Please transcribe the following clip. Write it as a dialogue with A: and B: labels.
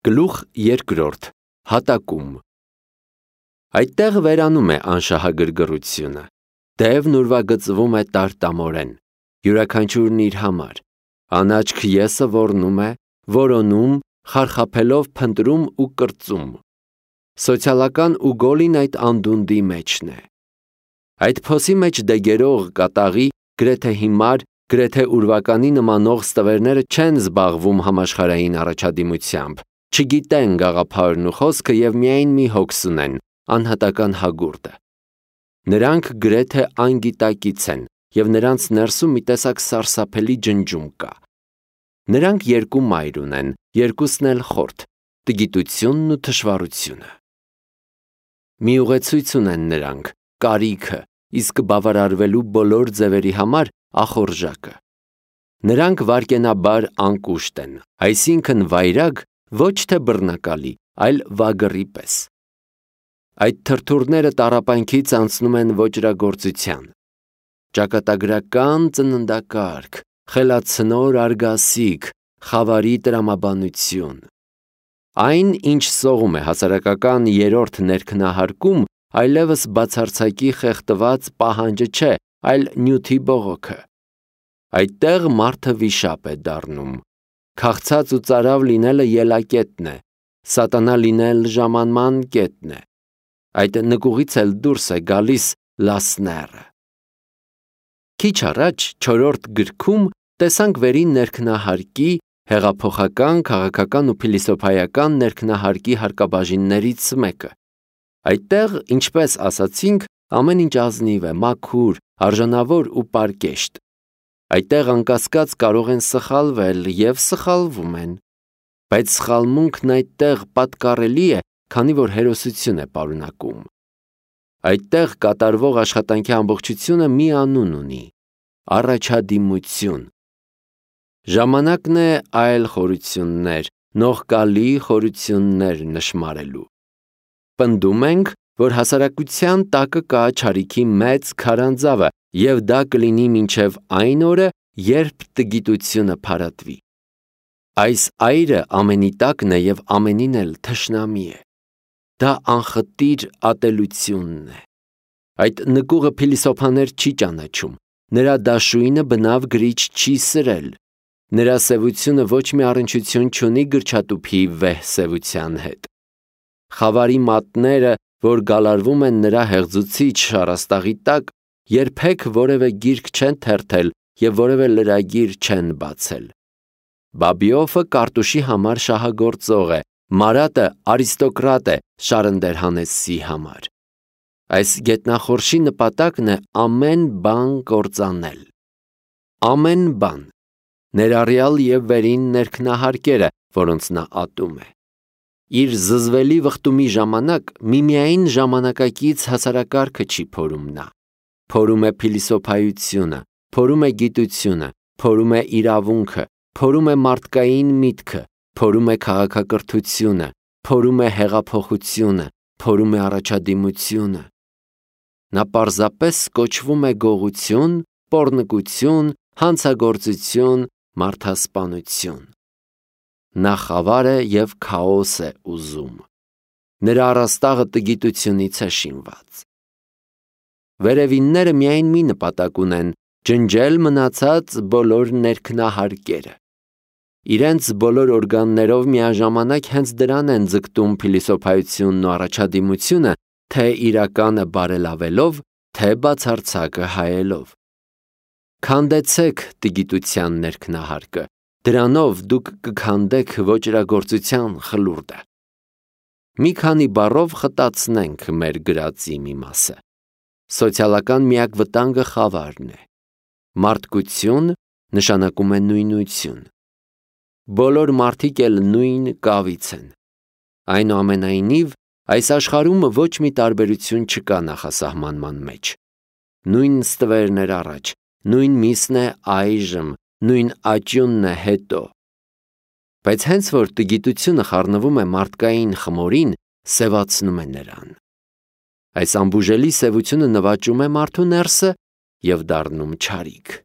A: Գլուխ 2. Հատակում։ Այդտեղ վերանում է անշահագրգռությունը, դևն ուրվագծվում է տարտամորեն, յուրաքանչյուրն իր համար, անաչք եսը ոռնում է, որոնում, խարխափելով փնտրում ու կրծում։ Սոցիալական ու գոլին այդ անդունդի մեջն է։ Այդ փոսի մեջ դեգերող կատաղի, գրեթե հիմար, գրեթե ուրվականի նմանող ստվերները չեն զբաղվում համաշխարհային առաջադիմությամբ, չգիտեն գաղափարն ու խոսքը և միայն մի հոգս ունեն, անհատական հագուրդը։ Նրանք գրեթե անգիտակից են և նրանց ներսում մի տեսակ սարսափելի ջնջում կա։ Նրանք երկու մայր ունեն, երկուսն էլ խորթ, տգիտությունն ու թշվառությունը։ Մի ուղեցույց ունեն նրանք, կարիքը, իսկ բավարարվելու բոլոր ձևերի համար ախորժակը։ Նրանք վայրկենաբար անկուշտ են, այսինքն վայրագ, ոչ թե բռնակալի, այլ վագրի պես։ Այդ թրթուրները տառապանքից անցնում են ոճրագործության։ Ճակատագրական ծննդակարգ, խելացնոր արգասիկ, խավարի տրամաբանություն։ Այն, ինչ սողում է հասարակական երրորդ ներքնահարկում, այլևս բացարձակի խեղդված պահանջը չէ, այլ նյութի բողոքը։ Այդտեղ մարդը վիշապ է դառնում։ Քաղցած ու ծարավ լինելը ելակետն է, սատանա լինել ժամանման կետն է։ Այդ նկուղից էլ դուրս է գալիս լասները։ Քիչ առաջ 4-րդ գրքում տեսանք վերին ներքնահարկի, հեղափոխական, քաղաքական ու փիլիսոփայական ներքնահարկի հարկաբաժիններից մեկը։ Այդտեղ, ինչպես ասացինք, ամեն ինչ ազնիվ է, մաքուր, արժանավոր ու պարկեշտ։ Այդտեղ անկասկած կարող են սխալվել և սխալվում են, բայց սխալմունքն այդտեղ պատկառելի է, քանի որ հերոսություն է պարունակում։ Այդտեղ կատարվող աշխատանքի ամբողջությունը մի անուն ունի՝ առաջադիմություն։ Ժամանակն է այլ խորություններ, նողկալի խորություններ նշմարելու։ Պնդում ենք, որ հասարակության տակը կա չարիքի մեծ քարանձավը, և դա կլինի մինչև այն օրը, երբ տգիտությունը փարատվի։ Այս այրը ամենի տակն է և ամենին էլ թշնամի է։ Դա անխտիր ատելությունն է։ Այդ նկուղը փիլիսոփաներ չի ճանաչում, նրա դաշույնը բնավ գրիչ չի սրել, նրա սևությունը ոչ մի առնչություն չունի գրչատուփի վեհ սևության հետ։ Խավարի մատները, որ գալարվում են նրա հեղձուցիչ շառաստաղի տակ, երբեք որևէ գիրք չեն թերթել և որևէ լրագիր չեն բացել։ Բաբիոֆը կարտուշի համար շահագործող է, Մարատը արիստոկրատ է Շարնդերհանեսի համար։ Այս գետնախորշի նպատակն է ամեն բան կործանել։ Ամեն բան, ներառյալ և վերին ներքնահարկերը, որոնց նա ատում է։ Իր զզվելի վխտումի ժամանակ միմիայն ժամանակակից հասարակարգը չի փորում նա։ Փորում է փիլիսոփայությունը, փորում է գիտությունը, փորում է իրավունքը, փորում է մարդկային միտքը, փորում է քաղաքակրթությունը, փորում է հեղափոխությունը, փորում է առաջադիմությունը։ Նա պարզապես կոչվում է գողություն, պոռնկություն, հանցագործություն, մարդասպանություն։ Նա խավար է և քաոս է ուզում։ Նրա առաստաղը տգիտությունից է շինված։ Վերևինները միայն մի նպատակ ունեն՝ ջնջել մնացած բոլոր ներքնահարկերը։ Իրենց բոլոր օրգաններով միաժամանակ հենց դրան են ձգտում փիլիսոփայությունն ու առաջադիմությունը, թե իրականը բարելավելով, թե բացարձակը հայելով։ Քանդեցեք տգիտության ներքնահարկը, դրանով դուք կքանդեք ոճրագործության խլուրդը։ Մի քանի բառով խտացնենք մեր գրածի մի մասը։ Սոցիալական միակ վտանգը խավարն է։ Մարդկություն նշանակում է նույնություն։ Բոլոր մարդիկ էլ նույն կավից են։ Այնուամենայնիվ, այս աշխարհում ոչ մի տարբերություն չկա նախասահմանման մեջ։ Նույն ստվերն էր առաջ, նույն միսն է այժմ, նույն աճյունն է հետո։ Բայց հենց որ տգիտությունը խառնվում է մարդկային խմորին, սևացնում է նրան։ Այս անբուժելի սևությունը նվաճում է մարդու ներսը և դառնում չարիք։